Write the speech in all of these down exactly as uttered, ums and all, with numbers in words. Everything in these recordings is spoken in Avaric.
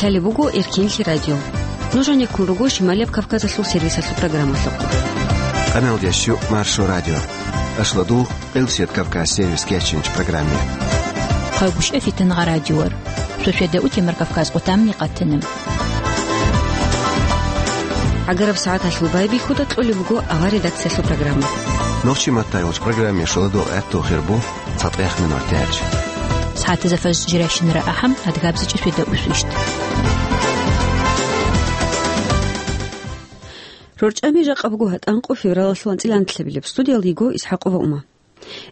Гьале буго Эркенлъи радио. Нуж гьанеккун руго Шималияб Кавказалъул сервисалъул программалъухъ. Къаналдияс щу Маршо радио. Ашлодул, Къилсият Кавказ сервис кечинч программе. Хъайгушев Фитангъа радиор. Сосведа утемар Кавказ къутамни къатинам. Агараб сагӀаталъул байбихьуда кьолеб буго авар редакциялъул программа. Нохчи маттайолч программе шоладул гӀатту хирбу цатӀех минор тяч. СагӀатаза фаж жиращинара ахӀам адгабзичӀи сосведа усвищт. РорчӀами жакъа буго гьатӀанкъо февралалъул анцӀила анлъабилеб. Студиялда йиго ИсхӀакъова Ума.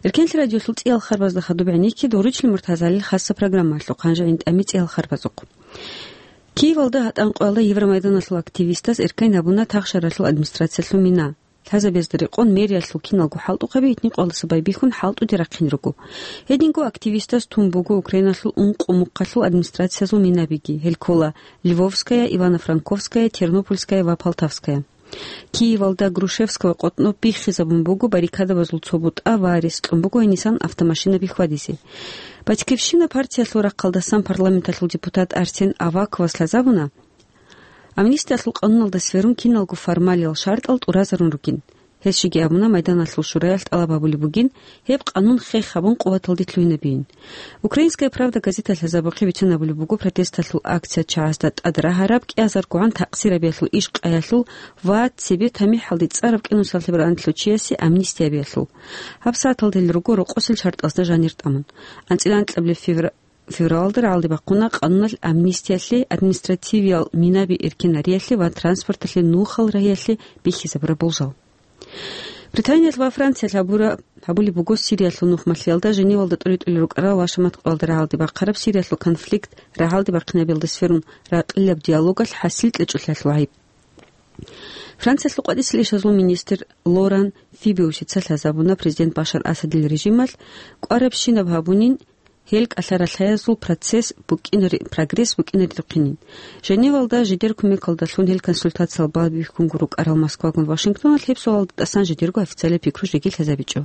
Эркенлъи радиолъул цӀиял харбазда хадуб гӀенекке доручли муртазалил хасса программалъухъ, гьанже гӀинтӀами цӀиял харбазухъ. Киевалда гьатӀанкъоялда Евромайданалъул активистаз эркайн гьабуна тахшаралъул администрациялъул мина. Лъазабезда рекъон мэриялъул киналго хӀалтӀухъаби итникъоялдаса байбихьун хӀалтӀуде рахъин руго. Гьединго активистаз тун буго Украиналъул ункъо мухъалъул администрациязул минабиги. Гьел ккола Львовская, Ивано-Франковская, Тернопольская ва Полтавская. Киевалда Грушевского къотӀноб биххизабун буго баррикадабазул цо бутӀа ва рес кьун буго гьенисан автомашинаби хьвадизе. «Батькивщина» партиялъул рахъалдасан парламенталъул депутат Арсен Аваковас лъазабуна, амнистиялъул къануналда сверун киналго формалиял шартӀал тӀуразарун ругин. Гьес жеги абуна, Майданалъул шураялъ тӀалаб гьабулеб бугин, гьеб къанун хех гьабун къуваталде лъугьинабейин. «Украинская правда» газеталъ лъазабухъе бицунабулеб буго протесталъул акция чагӀазда тӀад рагьараб кӀиазаргогӀан такъсирабиялъул иш къаялъул ва цебе тамихӀалде цӀараб кӀинусалъеб ранлъучиясе амнистиябиялъул. Гьаб сагӀаталда гьел руго рокъосел шартӀазда жанир тӀамун. АнцӀила анкьабилеб февра-, февралалда рагӀалде бахъуна къануналъ амнистиялъе, административиял минаби эркенариялъе ва транспорталъе нухал рагьиялъе бихьизабураб болжал. Британиялъ ва Франциялъ гьабура-, гьабулеб буго Сириялъул нухмалъиялда Женевалда тӀуритӀулел рукӀарал вашаматкъоялда рагӀалде бахъараб Сириялъул конфликт рагӀалде бахъинабиялда сверун ракьилаб диалогалъ хӀасил кьечӀолъиялъул гӀайиб. Франциялъул къватӀисел ишазул министр Лоран Фибиусица лъазабуна президент Башар Асадил режималъ кӀварабщинаб гьабунин, гьел кӀалъа-ралъаязул процесс букӀинари-, прогресс букӀинаридухъинин. Женевалда жидер кумекалдалъун гьел консультациял байбихьунго рукӀарал Москвагун Вашингтоналъ гьеб суалалда тӀасан жидерго официалияб пикру жеги лъазабичӀо.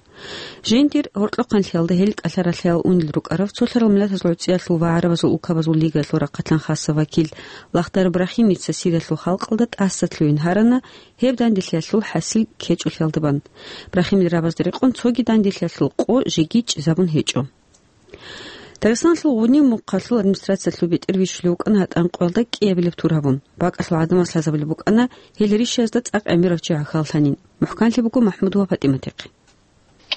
Жиндир гьоркьохъанлъиялда гьел кӀалъа-ралъаял унел рукӀарав цолъарал миллатазул гӀуцӀиялъул ва гӀарабазул улкабазул лигаялъул рахъалъан хасса вакил Лахдар Брахимица Сириялъул халкъалда тӀаса лъугьин гьарана гьеб данделъиялъул хӀасил ккечӀолъиялда бан. Брахимил рабазда рекъон цоги данделъиялъул къо жеги чӀезабун гьечӀо. Дагъистаналъул Гъуниб мухъалъул администрациялъул бетӀер вищулев вукӀана гьатӀанкъоялда кӀиабилеб тур гьабун. БакӀалъул гӀадамаз лъазабулеб букӀана гьел ришиязда цӀакъ гӀемерав чи гӀахьаллъанин. МухӀканлъи буго МахӀмудова ПатӀиматихъе.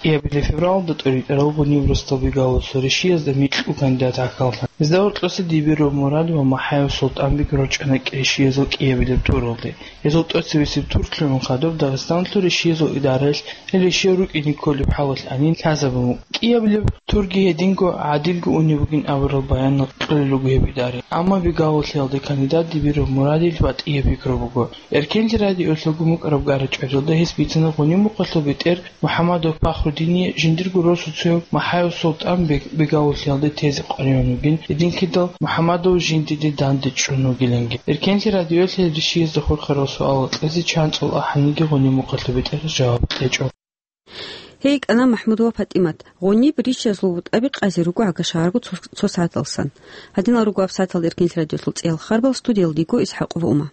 КӀиабилеб февралда тӀуритӀарав Гъуниб Рустал-бегавасул ришиязда микьго кандидат гӀахьаллъана. Гьезда гьоркьоса Дибиров Мурад ва МахӀаев Султанбек рорчӀана ришиязул кӀиабилеб туралде. Гьезул тӀоцебесеб тур лъугӀун хадуб Дагъистаналъул ришиязул идараялъ гьел ришиял рукӀине кколеб хӀалалъ гьанин лъазабун. КӀиабилеб турги гьединго гӀадилго унеб бугин абурал баянал кьолел руго гьеб идараялъ. Амма бегавуллъиялда кандидат Дибиров Мурадил батӀияб пикру буго. Эркенлъи радиоялъулго мукӀараб гара-чӀваралда гьес бицана Гъуниб мухъалъул бетӀер МухӀамадов Пахрудине жиндирго росуцояв МахӀаев Султанбек бегавуллъиялда тезе къваригӀун вугин, гьединлъидал МухӀамадов жиндиде данде чӀун вугиланги. Эркенлъи радиоялъ гьел ришиязда хурхарал суалал кьезе чанцӀул ахӀаниги Гъуниб мухъалъул бетӀер жаваб кьечӀо. Гьей кӀана МахӀмудова ПатӀимат, Гъуниб ришиязул бутӀаби къазе руго гӀага шагьарго цо, цо сагӀаталсан. Гьадинал руго гьаб сагӀаталда Эркенлъи радиоялъул цӀиял харбал, студиялда йиго ИсхӀакъова Ума.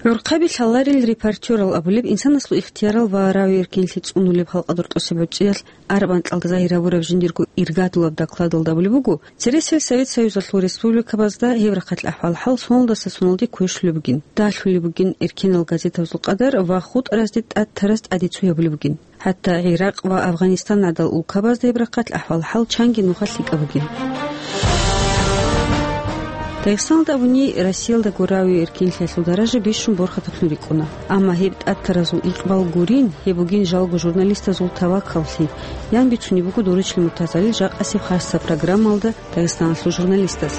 ГӀурхъаби лъаларел репортерал абулеб инсанасул ихтиярал ва равий эркенлъи цӀунулеб халкъалда рокьосеб гӀурцӀиялъ араб анкьалда загьир гьабураб жиндирго иргадулаб докладалда абулеб буго, цересел Совет Союзалъул республикабазда гьеб рахъалъ ахӀвал-хӀал соналдаса соналде кквешлъулеб бугин, далъулеб бугин эркенал газетабазул къадар ва хутӀаразде тӀад тарас тӀаде цо гьабулеб бугин. ХӀатта ГӀиракъ ва Афганистан гӀадал улкабазда гьеб рахъалъ ахӀвал-хӀал чанги нухалъ лъикӀаб бугин. Дагъистаналда абуни, Россиялдаго равий эркенлъиялъул даража бищун борхатаблъун рикӀкӀуна. Амма гьеб тӀад таразул икъбал гурин, гьеб бугин жалго журналистазул тавакаллъи, ян бицунеб буго Доручли Муртазалил жакъасеб хасса программалда Дагъистаналъул журналистаз.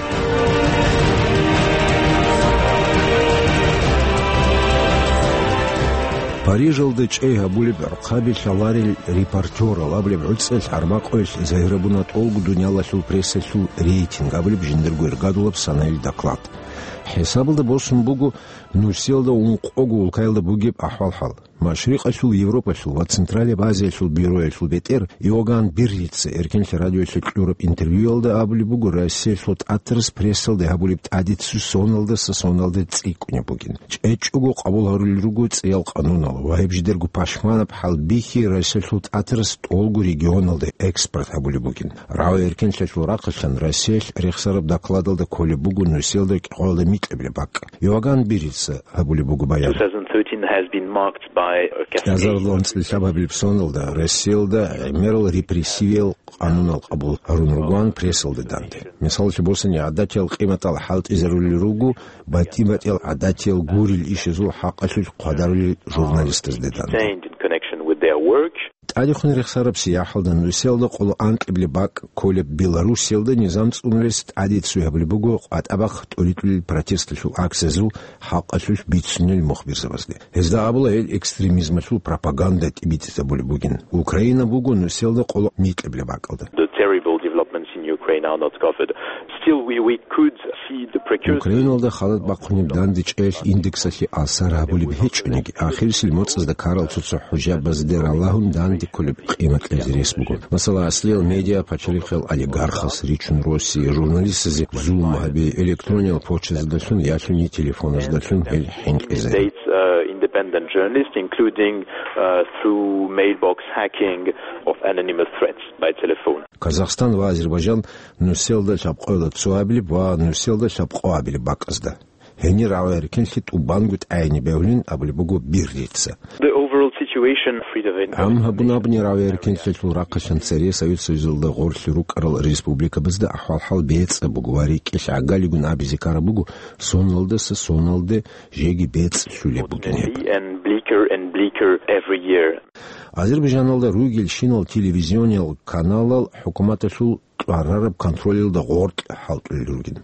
Парижалда чӀей гьабулеб гӀурхъаби лъаларел репортерал абулеб гӀуцӀел гӀармакъоялъ загьир гьабуна тӀолго дуниялалъул прессалъул рейтинг абулеб жиндирго иргадулаб санаил доклад. ХӀисабалда босун буго нусиялда ункъого улкаялда бугеб ахӀвал-хӀал. Машрикъалъул Европалъул ва Централияб Азиялъул бюроялъул бетӀер Иоганн Биррица Эркенлъи радиоялъе кьураб интервьюялда абулеб буго, Россиялъул тӀатарас прессалде гьабулеб тӀадицу соналдаса соналде цӀикӀкӀунеб бугин. ЧӀечӀого къабул гьарулел руго цӀиял къанунал ва гьеб жидерго пашманаб хӀалбихьи Россиялъул тӀатарас тӀолго регионалде экспорт гьабулеб бугин. РагӀи Эркенлъиялъул рахъалъан Россиялъ рехсараб докладалда кколеб буго нусиялда кӀикъоялда микьаблеб бакӀ. Иоганн Биррица гьабулеб буго баян. Two thousand thirteen has been marked by a cascade. КӀиазарилан цӀилъабабилеб соналда Россиялда гӀемерал репрессивиял къанунал къабул гьарун ругоан прессалде данде. Мисаллъи босани, гӀадатиял къиматал хӀалтӀизарулел руго, батӀи-батӀиял гӀадатиял гурил ишазул хӀакъалъулъ хъвадарулел журналистазде данде. Detained in connection with their work. ТӀадехун рехсараб сияхӀалда нусиялда къоло анкьиблеб бакӀ кколеб Белоруссиялда низам цӀунулес тӀадицу гьабулеб буго къватӀабахъ тӀоритӀулел протесталъул акциязул хӀакъалъулъ бицунел мухбирзабазде. Гьезда абула гьел экстремизмалъул пропаганда тӀибитӀизабулеб бугин. Украина буго нусиялда къоло микьаблеб бакӀалда. The terrible developments in Ukraine are not covered. Still, we, we could see the precursors. Украиналда халат бахъунеб дандечӀеялъ индексалъе асар гьабулеб гьечӀониги, ахирисел моцӀазда ккарал цо-цо хӀужабазде ралагьун данде кколеб къимат кьезе рес буго. Масала, аслиял медиа пачалихъел олигархас ричун Россия, журналистазе зулму гьаби, электрониял почтаздалъун ялъуни телефоназдалъун гьел хӀинкъизе. Dates, uh, independent journalists, including, uh, through mailbox hacking of anonymous threats by telephone. Казахстан ва Азербайджан нусиялда лъабкъоялда цоабилеб ва нусиялда лъабкъоабилеб бакӀазда. Гьенир рагӀи-эркенлъи тӀубанго тӀагӀине бегьулин абулеб буго Биррица. The overall situation, freedom of Гьам гьабун абуни, рагӀи-эркенлъиялъул рахъалъан цере Совет Союзалда гъорлъ рукӀарал республикабазда ахӀвал-хӀал бецӀаб буго ва рикӀкӀалъ гӀагалигун абизе ккараб буго, соналдаса соналде жеги бецӀлъулеб бугин гьеб. And bleaker and bleaker every year. Азербайджаналда ругелщинал телевизиониял каналал хӀукуматалъул кьварараб контролалда гъоркь хӀалтӀулел ругин.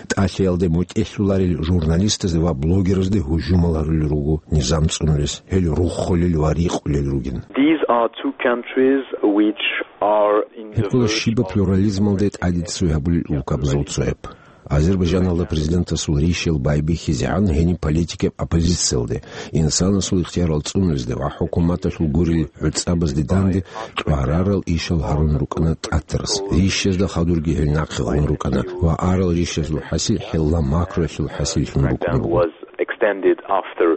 ТӀалъиялде мутӀигӀлъуларел журналистазде ва блогерзде гьужумал гьарулел руго низам цӀунулес, гьел руххулел ва рикъулел ругин. These are two countries which are in the Гьеб ккола щибаб плюрализмалде тӀадицу гьабулел улкабазул цояб. Азербайджаналда президентасул рищал байбихьизегӀан гьениб политикияб оппозициялде, инсанасул ихтиярал цӀунулезде ва хӀукуматалъул гурел гӀуцӀабазде данде кьварарал ишал гьарун рукӀана тӀатарас. Рищазда хадурги гьел нахъе гъун рукӀана ва арал рищазул хӀасил хӀелла макруялъул хӀасиллъун рукӀун буго. Was extended after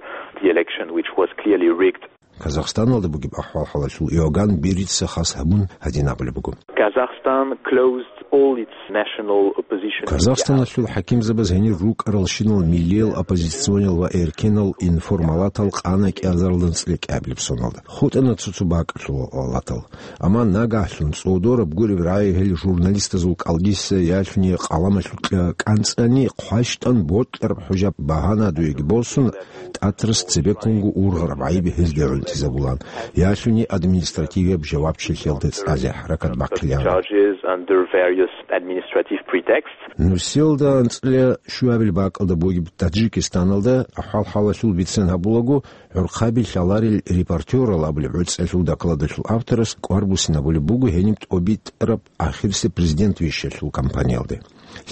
the election, which was clearly rigged. Казахстаналда бугеб ахӀвал-хӀалалъул Иоганн Биррица хас гьабун гьадин абулеб буго. Kazakhstan closed all its national opposition media. Казахстаналъул хӀакимзабаз гьенир рукӀаралщинал миллиял оппозициониял ва эркенал информалатал къана кӀиазарилан цӀикӀкӀабилеб соналда. ХутӀана цо-цо бакӀалъул алатал. Амма нагагьлъун цӀодораб гуреб рагӀи гьел журналистазул кӀалдиса ялъуни къаламалъукьа кӀанцӀани хъващтӀан бокьараб хӀужаб багьана дуеги босун, тӀатарас цебеккунго ургъараб гӀайиб гьезде гӀунтӀизабулан, ялъуни административияб жавабчилъиялде цӀализе хӀаракат бахъилаан. Charges under various administrative pretexts. Нусиялда анцӀила щуабил бакӀалда бугеб Таджикистаналда ахӀвал-хӀалалъул бицен гьабулаго, гӀурхъаби лъаларел репортерал абулеб гӀуцӀалъул докладалъул авторас кӀвар буссинабулеб буго гьениб тӀобитӀараб ахирисеб президент вищалъул кампаниялде.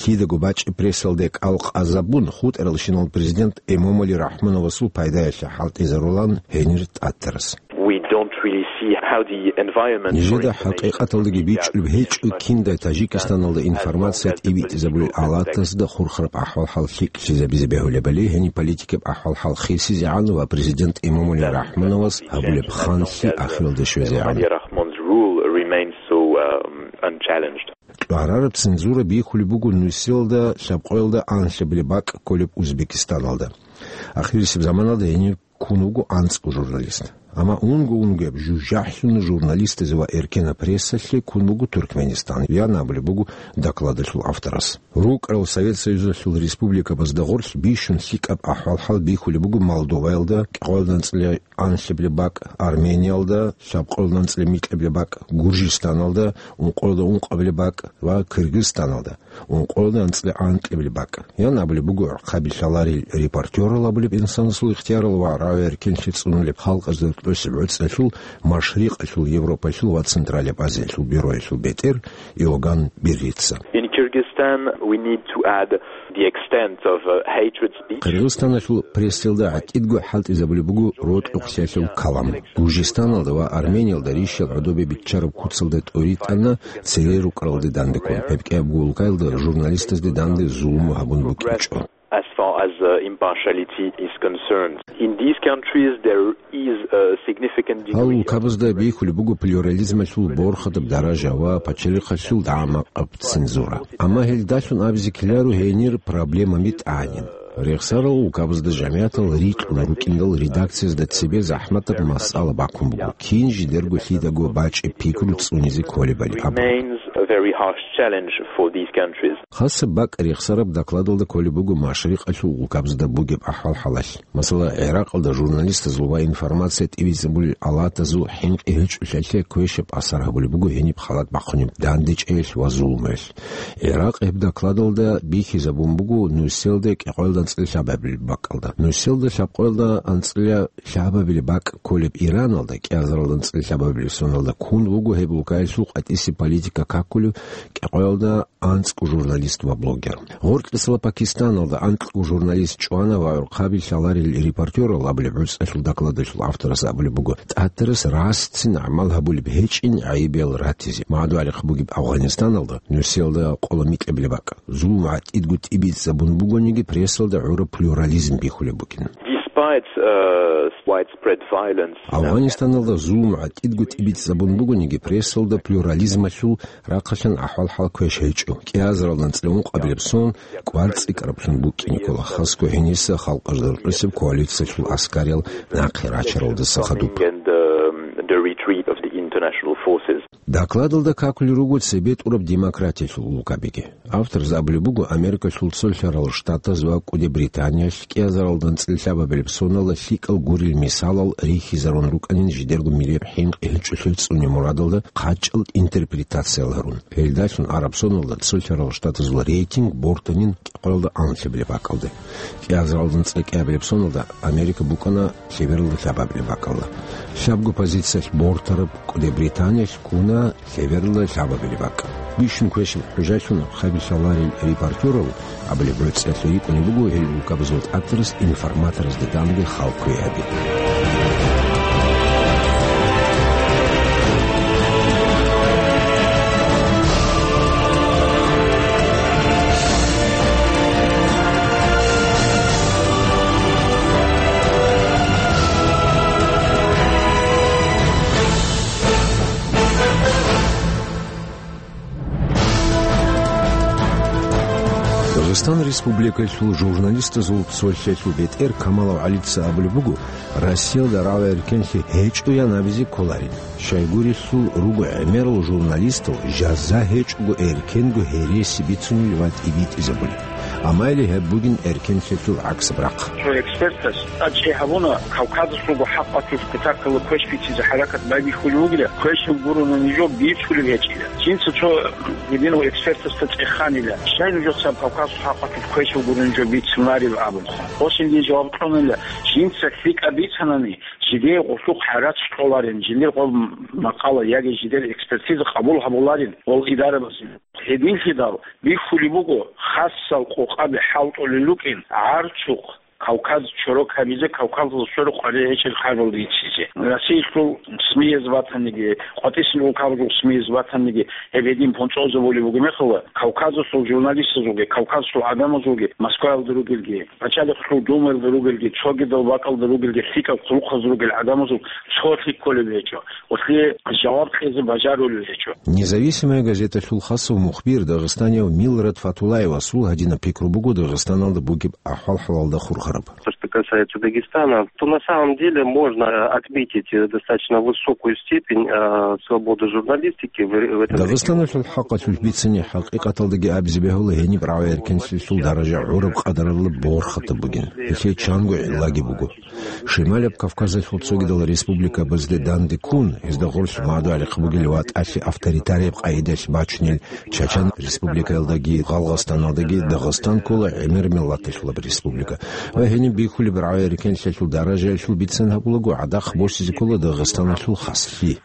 Лъидаго бачӀи прессалде кӀал къазабун, хутӀаралщинал президент Эмомали Рахмоновасул пайдаялъе хӀалтӀизарулан гьенир тӀатарас. We don't really see how the environment for Нижеда information хӀакъикъаталдаги бичӀчӀулеб гьечӀо, киндай Таджикистаналда информация тӀибитӀизабулел алатасда хурхараб ахӀвал-хӀал лъикӀлъизабизе бегьулебали, гьениб политикияб ахӀвал-хӀал хисизегӀан ва президент Эмомали Рахмоновас гьабулеб ханлъи ахиралде щвезегӀан. Rahmon's rule remains so, um, unchallenged. КьвагӀарараб цензура бихьулеб буго нусиялда лъабкъоялда анлъабилеб бакӀ кколеб Узбекистаналда. Ахирисеб заманалда гьенир ккун вуго анцӀго журналист. Амма унго-унгояб жужахӀлъун журналистазе ва эркенаб прессалъе ккун буго Туркменистан, ян абулеб буго докладалъул авторас. РукӀарал Совет Союзалъул республикабазда гъорлъ бищун лъикӀаб ахӀвал-хӀал бихьулеб буго Молдоваялда, кӀикъоялда анцӀила анлъабилеб бакӀ, Армениялда, лъабкъоялда анцӀила микьабилеб бакӀ, Гуржистаналда, ункъоялда ункъабилеб бакӀ ва Кыргызстаналда, ункъоялда анцӀила анкьабилеб бакӀ. Ян абулеб буго гӀурхъаби лъаларел репортерал абулеб инсанасул ихтиярал ва рагӀи-эркенлъи цӀунулеб халкъазда тӀоцеб гӀуцӀалъул, Машрикъалъул, Европалъул ва Централияб Азиялъул бюроялъул бетӀер Иоганн Биррица. In Kyrgyzstan, we need to add the extent of, uh, hatred speech. Къиргъизстаналъул прессалда гӀатӀидго хӀалтӀизабулеб буго рокьухълъиялъул калам. Гужистаналда ва Армениялда рищал гӀодобе биччараб куцалда тӀоритӀана цере рукӀаралде дандеккун, гьеб кӀиябго улкаялда журналистазде данде зулму гьабун букӀинчӀо. As far as, uh, impartiality is concerned. In these countries, there is a significant Гьал degree of улкабазда бихьулеб буго плюрализмалъул борхатаб даража ва пачалихъалъул дагӀмакъаб цензура. Амма гьелдалъун абизе ккеларо гьенир проблемаби тӀагӀинин. Рехсарал улкабазда жамигӀатал рикьун рукӀиндал редакциязда цебе захӀматаб масъала бахъун буго, кин жидерго лъидаго бачӀеб пикру цӀунизе кколебали абун. Remains a very harsh challenge for these countries. Хасаб бакӀ рехсараб докладалда кколеб буго машрикъалъул улкабазда бугеб ахӀвал-хӀалалъ. Масала, ГӀиракъалда журналистазул ва информация тӀибитӀизабулел алатазул хӀинкъи гьечӀолъиялъе квешаб асар гьабулеб буго гьениб халат бахъунеб дандечӀеялъ ва зулмуялъ. ГӀиракъ гьеб докладалда бихьизабун буго нусиялда кӀикъоялда анцӀила лъабабилеб бакӀалда. Нусиялда лъабкъоялда анцӀила лъабабилеб бакӀ кколеб Ираналда кӀиазаралда анцӀила лъабабилеб соналда ккун буго гьеб улкаялъул къватӀисеб политика какулев кӀикъоялда анцӀго журналист ва блогер. Гъоркьисала Пакистаналда анкьго журналист чӀвана ва гӀурхъаби лъаларел репортёрал абулеб гӀуцӀалъул докладалъул авторас абулеб буго, тӀатарас расцин гӀамал гьабулеб гьечӀин гӀайибиял ратизе. МагӀадуарихъ бугеб Афганистаналда нусиялда къола микьабилеб бакӀ. Зулму гӀатӀидго тӀибитӀизабун бугониги, прессалда гӀураб плюрализм бихьулеб букӀин. Despite, uh, widespread violence. Афганистаналда зулму гӀатӀидго тӀибитӀизабун бугониги, прессалда плюрализмалъул рахъалъан ахӀвал-хӀал квеш гьечӀо. КӀиазаралда анцӀила ункъабилеб сон кӀвар цӀикӀкӀараблъун букӀине ккола, хасго гьениса халкъалда рекъисеб коалициялъул аскариял нахъе рачаралдаса хадуб. And, um, the retreat of the international forces. Докладалда какулел руго цебетӀураб демократиялъул улкабиги. Авторас абулеб буго, Америкалъул Цолъарал Штатаз ва КӀуди Британиялъ кӀиазаралда анцӀила лъабабилеб соналда лъикӀал гурел мисалал рихьизарун рукӀанин жидерго милияб хӀинкъи гьечӀолъи цӀуне мурадалда хъачӀал интерпретациял гьарун. Гьелдалъун гӀараб соналда Цолъарал Штатазул рейтинг бортанин кӀикъоялда анлъабилеб бакӀалде. КӀиазаралда анцӀила кӀиабилеб соналда Америка букӀана лъебералда лъабабилеб бакӀалда. Лъабго позициялъ бортараб КӀуди Британиялъ ккуна лъебералда лъабабилеб бакӀ. Бищун квешаб хӀужалъун гӀурхъаби лъаларел репортёрал абулеб гӀуцӀиялъе рикӀкӀунеб буго гьел улкабазул тӀатарас информаторазда данде хал кквей гьаби. Дагъистан Республикалъул журналистазул цолъиялъул бетӀер Камалов ГӀалица абулеб буго, Россиялда рагӀи-эркенлъи гьечӀоян абизе кколарин. Щайгурелъул руго гӀемерал журналистал жаза гьечӀого эркенго гьереси бицунел ва тӀибитӀизабулел. Амма гьеб бугин эркенлъиялъул гӀаксаб рахъ. Цо экспертас тӀадчӀей гьабуна, Кавказалъулго хӀакъалъулъ кутакалда квеш бицизе хӀаракат байбихьулев вугила, квешал гурони жо бицунеб гьечӀила. Жинца цо гьединав экспертасда цӀеханила, щай нужецаго Кавказалъул хӀакъалъулъ квешал гурони жо бицунареб абун. Гьесие жаваб кьунила, жинца лъикӀаб бицанани, жидее гъулъухъ гӀарац кьоларин, жиндир гъоб макъала яги жидер экспертиза къабул гьабуларин гъол идарабазе. Гьединлъидал бихьулеб буго, хасал къокъаби хӀалтӀулел рукӀин гӀарцухъ Кавказ чорок гьабизе, Кавказалда сверухъ къваригӀинчӀел хъарбал бицизе. Россиялъул СМИяз батаниги, къватӀисел улкабазул СМИяз батаниги, гьеб гьедин понцӀолзабулеб буго мехалда, Кавказалъул журналистазулги, Кавказалъул гӀадамазулги, Москваялда ругелги, Пачалихъалъулъ Думаялда ругелги, цогидал бакӀалда ругелги, лъикӀаб хъулухъаз ругел гӀадамазул цолъи кколеб гьечӀо, гъолъие жаваб кьезе бажарулел гьечӀо. Независимая газеталъул хасав мухбир, дагъистанияв Милрат Фатулаевасул гьадинаб пикру буго Дагъистаналда бугеб ахӀвал-хӀалалда хурхараб. То, что касается Дагестана, то на самом деле можно, э, отметить, э, достаточно высокую степень, э, свободы журналистики в, в этом регионе. Дагъистаналъул хӀакъалъулъ бицани, хӀакъикъаталдаги абизе бегьула, гьениб рагӀи-эркенлъиялъул даража гӀураб къадаралда борхатаб бугин. Гьелъие чанго гӀиллаги буго. Шималаб Кавказалъул цогидал республикабазде данде ккун, гьезда гъорлъ магӀарухъ бугел ва тӀалъи авторитарияб къагӀидалъ бачунел Чачан Республикаялдаги Гъалгъастаналдаги Дагъистан ккола гӀемер миллаталъулаб республика. Ва гьениб бихьулеб рагӀи-эркенлъиялъул даражаялъул бицан гьабулаго, гӀадахъ босизе ккола Дагъистаналъул хаслъи.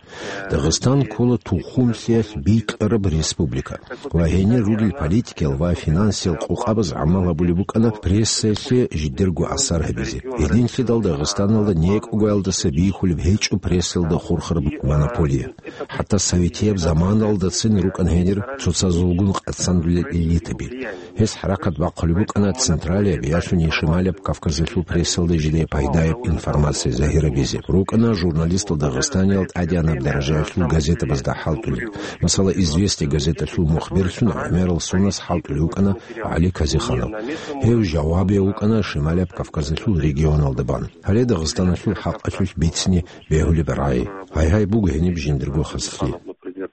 Дагъистан ккола тухумлъиялъ бикьараб республика ва гьенир ругел политикиял ва финансиял къокъабаз гӀамал гьабулеб букӀана прессаялъе жидерго асар гьабизе. Гьединлъидал Дагъистаналда некӀогоялдаса бихьулеб гьечӀо прессаялда хурхараб монополия. ХӀатта советияб заманалдацин рукӀана гьенир цоцазулгун къацандулел элитаби. Гьес хӀаракат бахъулеб букӀана централияб ящун шималияб Кавказалъул прессалда жидее пайдаяб информация загьирабизе. РукӀана журналистал Дагъистаниял тӀадегӀанаб даражаялъул газетабазда хӀалтӀулел. Масала, «Известия» газеталъул мухберлъун гӀемерал сонас хӀалтӀулев вукӀана ГӀали Казиханов. Гьев жавабияв вукӀана шималияб Кавказалъул регионалда бан. Гьале Дагъистаналъул хӀакъалъулъ бицине бегьулеб рагӀи. Гьай-гьай, буго гьениб жиндирго хаслъи.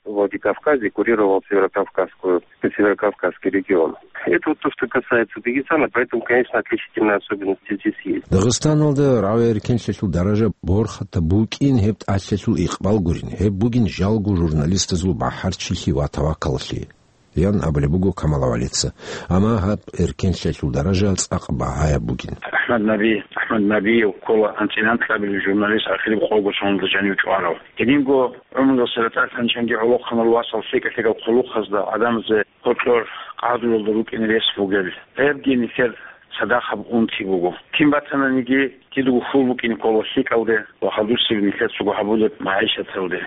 Владикавказе курировал Северокавказскую, Северокавказский регион. Это вот то, что касается Дагестана, поэтому, конечно, отличительные особенности здесь есть. Дагъистаналда рагӀи-эркенлъиялъул даража борхатаб букӀин гьеб тӀалъиялъул икъбал гурин, гьеб бугин жалго журналистазул бахӀарчилъи ва тавакаллъи, ян абулеб буго Камалав ГӀалица. Амма гьаб эркенлъиялъул даража цӀакъ багьаяб бугин. АхӀмад Наби, АхӀмад Набиев ккола анцӀила анкьабилеб журналист, ахириб къого соналда жанив чӀварав. Гьединго гӀумруялъ ратӀалъанчанги гӀолохъанал васал лъикӀа-лъикӀал хъулухъазда гӀадамазе гьоркьор къагӀдулалда рукӀине рес бугел. Гьебги нилъер цадахъаб унти буго. Кин батананиги, кидаго хьул букӀине ккола лъикӀалде ва хадусеб нилъер цого гьабулеб магӀишаталде.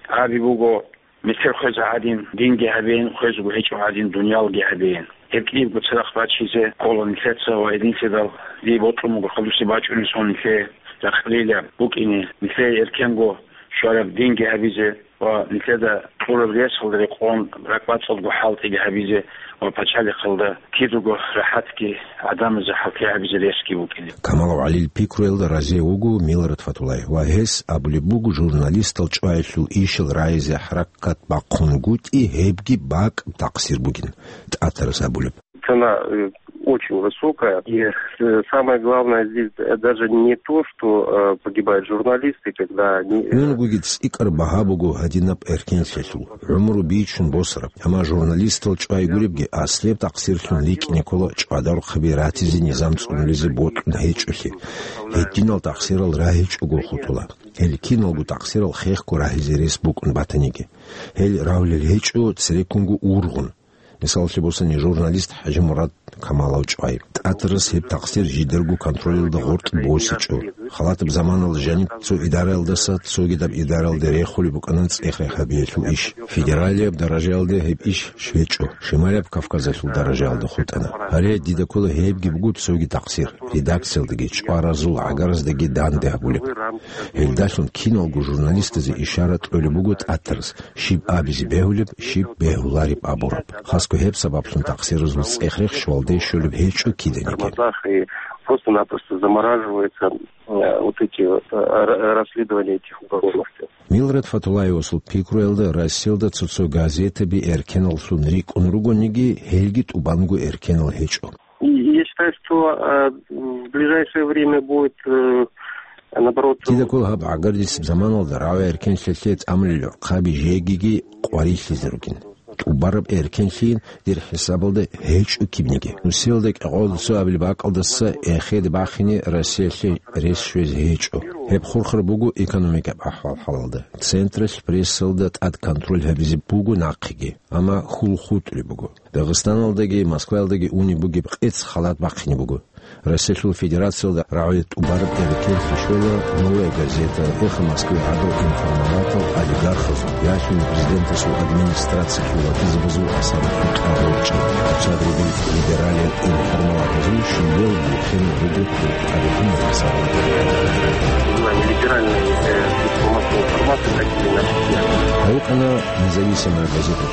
Аби буго, метер хвеза гӀадин, динги гьабеян, хвезаго гьечӀо гӀадин, дуниялги гьабеян. Гьеб кӀиябго цадахъ бачизе ккола нилъеца ва гьединлъидал дие бокьун буго хадусе бачӀунеб сон нилъее рахъалила букӀине, нилъее эркенго щвараб динги гьабизе ва нилъеда кьураб ресалда рекъон ракӀбацӀцӀадго хӀалтӀиги гьабизе ва пачалихъалда кидаго рахӀатги гӀадамазе хӀалкье гьабизе ресги букӀине. Камалав ГӀалил пикруялда разие вуго Милрат Фатулаев ва гьес абулеб буго журналистал чӀваялъул ишал рагӀизе хӀаракат бахъунгутӀи гьебги бакӀ такъсир бугин тӀатарас абулеб. Цена, э, очень высокая. И, э, самое главное здесь, э, даже не то, что, э, погибают журналисты, когда они, э, Унгуги цӀикӀкӀар багьа буго гьадинаб эркенлъиялъул, гӀумру бичун босараб, амма журналистал чӀвай гуребги аслияб такъсирлъун рикӀкӀине ккола чӀвадарухъаби ратизе низам цӀунулизе бокьун гьечӀолъи. Гьединал такъсирал рагьичӀого хутӀула. Гьел киналго такъсирал хехго рагьизе рес букӀун батаниги. Гьел равлел гьечӀо цереккунго ургъун. Мисалалъе босани, журналист ХӀажимурад Камалав чӀвай. ТӀатарас гьеб такъсир жидерго контролалда гъоркь босичӀо. Халатаб заманалда жаниб цо идараялдаса цогидаб идараялде рехулеб букӀана цӀех-рех гьабиялъул иш. Федералияб даражаялде гьеб иш щвечӀо, Шималияб Кавказалъул даражаялда хутӀана. Гьале дида ккола гьебги буго цоги такъсир, редакциялдаги чӀваразул гӀагараздаги данде гьабулеб. Гьелдалъун киналго журналистазе ишара кьолеб буго тӀатарас, щиб абизе бегьулеб, щиб бегьулареб абураб. Хасго гьеб сабаблъун такъсиразул цӀех-рех щвалде щолеб гьечӀо киданиги. Тормозах и просто-напросто замораживаются, э, вот эти вот, э, ра-, расследования этих уголовных дел. Милрат Фатулаевасул пикруялда, Россиялда цо-цо газетаби эркеналлъун рикӀкӀун ругониги, гьелги тӀубанго эркенал гьечӀо. И я считаю, что, э, в ближайшее время будет, э, наоборот, Кида ккола гьаб гӀагардисеб заманалда рагӀи-эркенлъиялъе тӀамулел гӀурхъаби жегиги къварилъизе ругин. ТӀубараб эркенлъийин, дир хӀисабалда, гьечӀо кибниги. Нусиялда кӀикъоялда цо абилеб бакӀалдаса эхеде бахине Россиялъе рес щвезе гьечӀо. Гьеб хурхараб буго экономикаб ахӀвал-хӀалалда. Централъ прессалда тӀад контроль гьабизе буго нахъеги, амма хьул хутӀулеб буго. Дагъистаналдаги Москваялдаги унеб бугеб къец халат бахъине буго. Россиялъул Федерациялда рагӀули тӀубараб эркенлъи щвела «Новая газета», «Эхо Москвы» гӀадал информалатал олигархазул, ялъуни президентасул администрациялъул вакилзабазул асар хутӀарулчӀин, цадруги либералиял информалатазул щибиял бухӀин буго тарихун асар. Либеральные, э, средства массовой информации, такие наши. Гьавукьана независимая газета.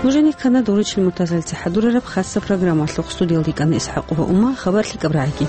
Нужеца ккана Доручил Муртазалица хӀадурараб хасса программалъухъ. Студиялда йикӀана ИсхӀакъова Ума. Хабар лъикӀаб рагӀиги.